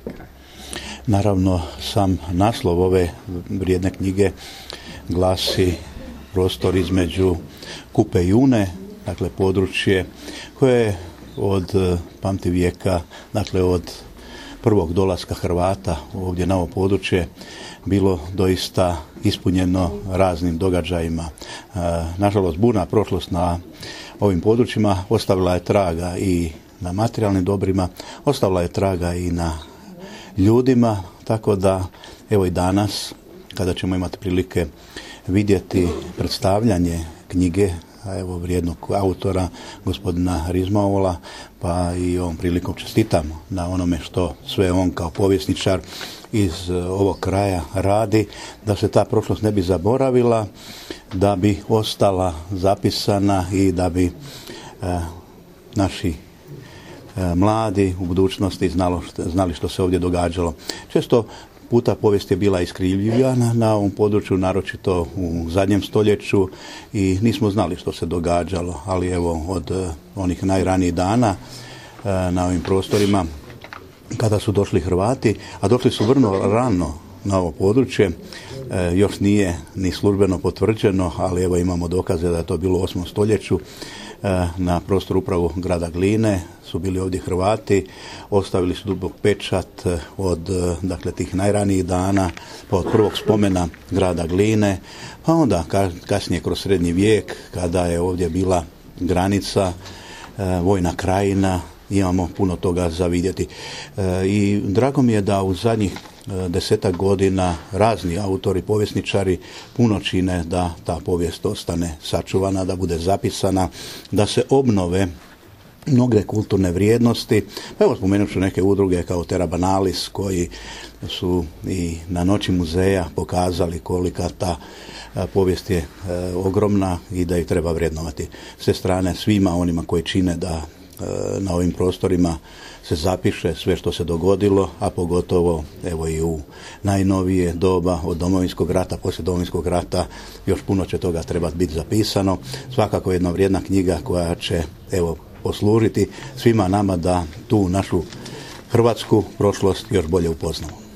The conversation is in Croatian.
kraj. Naravno, sam naslov ove vrijedne knjige glasi prostor između Kupe i Une, dakle područje koje je od pamtivijeka, dakle od prvog dolaska Hrvata ovdje na ovo područje bilo doista ispunjeno raznim događajima. Nažalost, burna prošlost na ovim područjima ostavila je traga i na materijalnim dobrima, ostavila je traga i na ljudima, tako da evo i danas kada ćemo imati prilike vidjeti predstavljanje knjige evo vrijednog autora gospodina Rizmaola, pa i ovom prilikom čestitam na onome što sve on kao povjesničar iz ovog kraja radi, da se ta prošlost ne bi zaboravila, da bi ostala zapisana i da bi naši mladi u budućnosti znali što se ovdje događalo. Često puta povijest je bila iskrivljivana na ovom području, naročito u zadnjem stoljeću i nismo znali što se događalo, ali evo od onih najranijih dana na ovim prostorima kada su došli Hrvati, a došli su vrlo rano na ovo područje, još nije ni službeno potvrđeno, ali evo imamo dokaze da je to bilo u 8. stoljeću. Na prostoru upravo grada Gline su bili ovdje Hrvati, ostavili su dubok pečat od dakle tih najranijih dana, pa od prvog spomena grada Gline, pa onda kasnije kroz srednji vijek kada je ovdje bila granica, vojna krajina, imamo puno toga za vidjeti. I drago mi je da u zadnjih 10 godina razni autori, povjesničari puno čine da ta povijest ostane sačuvana, da bude zapisana, da se obnove mnoge kulturne vrijednosti. Pa evo spomenut ću neke udruge kao Terra Banalis koji su i na Noći muzeja pokazali kolika ta povijest je ogromna i da ju treba vrednovati. S te strane svima onima koji čine da na ovim prostorima se zapiše sve što se dogodilo, a pogotovo evo i u najnovije doba od Domovinskog rata, poslije Domovinskog rata još puno će toga trebati biti zapisano. Svakako jedna vrijedna knjiga koja će evo poslužiti svima nama da tu našu hrvatsku prošlost još bolje upoznamo.